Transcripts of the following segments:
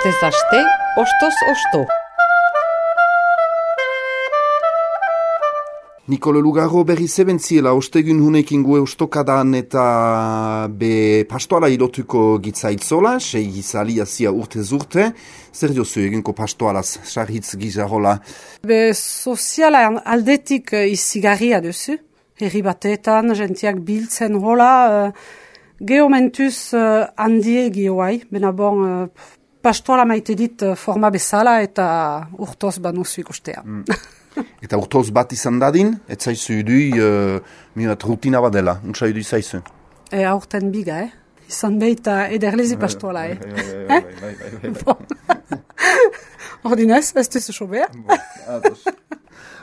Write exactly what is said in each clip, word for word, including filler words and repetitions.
Astez aste, ostoz osto. Nikole Lugarro berri zebentziela ostegun hunekin gue ostokadan eta be pastoala ilotuko gitzaitzola, sei gizali azia urte zurte. Zer diozu eginko pastoalaz, sarhitz gizarola? Be soziala aldetik izigarria duzu. Herri batetan, jentiak biltzen hola, uh, geomentuz uh, handie gioai, bena bon, uh, pastoala maite dit uh, forma bezala eta urtoz banuzu ikustea. Mm. Eta urtoz bat izan dadin, ez zaizu idui, uh, mirat rutina badela, untsa idui zaizu? E aurten biga, eh? Izan behita ederlezi pastoala, eh? Ordinez, ez duzu sobea?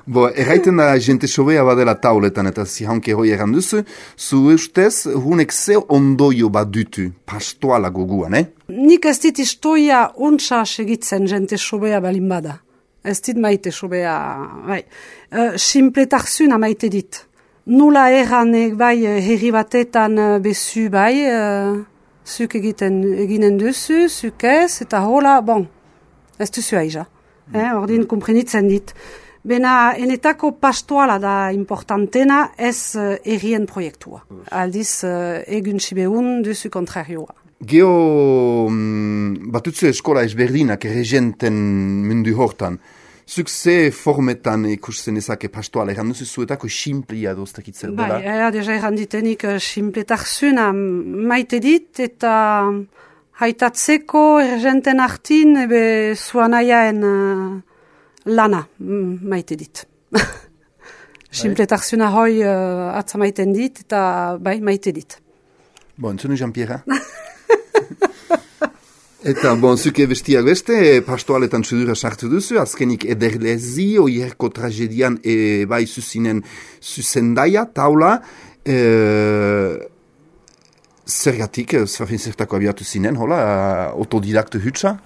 Bo, erraiten da jente sobea badela tauletan eta zihanke hoi eran duzu, zu ustez, hunek ze ondoio bat dutu pastoala goguan, eh? Nik ez dit istoia untsa segitzen jente sobea balin bada. Ez dit maite sobea, bai. Uh, Simpletartzuna maite dit. Nula erranek bai herri batetan bezu bai, uh, zuk egiten eginen duzu, zuk ez, eta hola, bon, ez duzu aiza. Mm. Eh, ordin komprenitzen dit. Bena, enetako pastoala da importantena ez uh, errien proiektua. Aldiz, uh, egun sibeun duzu kontrarioa. Geo mm, batutzu eskola ezberdinak erregenten mundu hortan. Zuk ze formetan ikusten ezake pastoala, eran duzu zuetako simplia doztakitzer dela? Bai, ea, deja eran ditenik uh, simpletarzuna maite dit eta haitatzeko erregenten hartin ebe zuanaien uh, lana maite dit. Simpletarzuna hoi uh, atza maiten dit eta bai maite dit. Bon, zunu Jean-Pierre? Eta, bon, zuke bestiak beste, pastoaletan sudura sartu duzu, azkenik ederlezi, oierko tragedian e, bai zuzinen zuzendaia, taula, e, zergatik, zertako abiatu zinen, hola, autodidakte hutsa?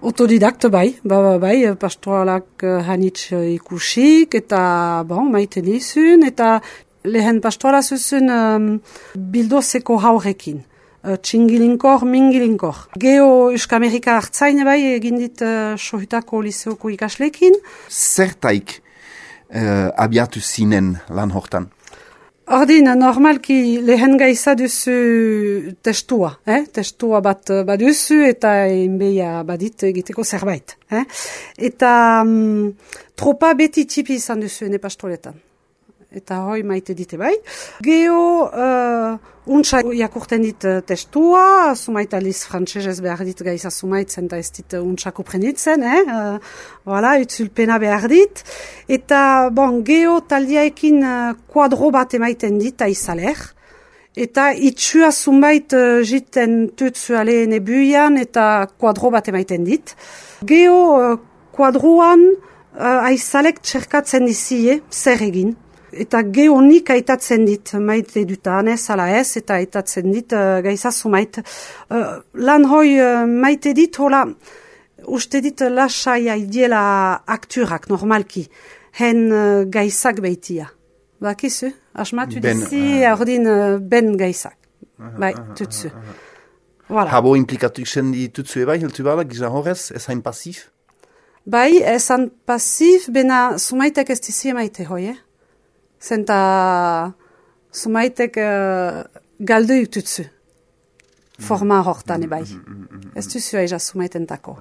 Autodidakte bai, ba, ba, bai, pastoalak hanitz ikusik, eta, bon, maite nizun, eta lehen pastoala zuzun um, bildozeko haurekin. Uh, txingilinkor, mingilinkor. Geo Euskamerika hartzaine bai, egin dit uh, sohutako liseoko ikaslekin. Zertaik uh, abiatu zinen lan hortan? Ordin, normalki lehen gaiza duzu testua, eh? Testua bat baduzu eta enbeia badit egiteko zerbait. Eh? Eta um, tropa beti tipi izan duzu ene pastoletan. Eta hoi maite dite bai. Geo uh, untsa jakurten dit uh, testua, sumait aliz frantsesez behar dit gaiza sumaitzen eta ez dit uh, untsa kuprenitzen, eh? Uh, voilà, utzulpena behar dit. Eta, bon, geo taldiaekin uh, kuadro bat emaiten dit aizaler. Eta itxua sumait uh, jiten tutzu ale nebuian eta kuadro bat emaiten dit. Geo uh, kuadroan uh, aizalek txerkatzen dizie, zer egin. Eta geonik aitatzen dit, maite dutan ez, ala ez, eta aitatzen dit uh, gaiza sumait. Uh, lan hoi uh, maite dit, hola, uste dit lasai aidiela akturak, normalki, hen uh, gaizak beitia. Bakizu, asmatu ben, dizi, uh, ordin uh, ben gaizak. Uh, bai, uh, tutsu. Uh, uh, voilà. Habo implikatu iksen ditutzu ebai, hiltu bala, gizan horrez, ez hain pasif? Bai, ez hain pasif, bena sumaitek ez dizi maite hoi, eh? Zenta sumaitek uh, galdu jututzu. Forma hortan ebai. Ez duzu aiza sumaitentako.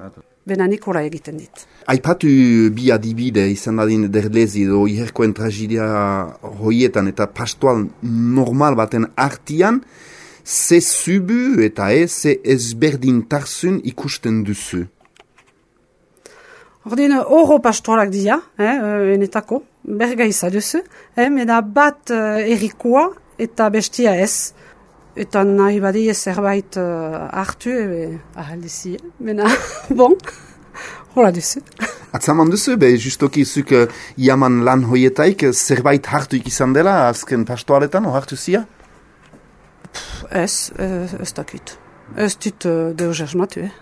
Bena Nikola egiten dit. Aipatu bi adibide izan dadin derlezi edo iherkoen tragedia hoietan eta pastoal normal baten artian, ze zubu eta ez ze ezberdintarzun ikusten duzu. Ordin, oro pastoalak dira, eh, enetako, bergaiza duzu, eh, mena bat uh, erikoa eta bestia ez. Eta nahi badi zerbait uh, hartu, ebe, ahaldizi, mena, bon, hola duzu. Atzaman duzu, be, justoki zuk uh, iaman lan hoietaik, zerbait hartu ikizan dela, azken pastoaletan, o hartu zia? Ez, ez, ez dakit. Ez dit uh, deus asmatu, eh.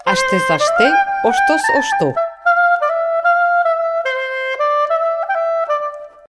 Astez aste, ostoz osto.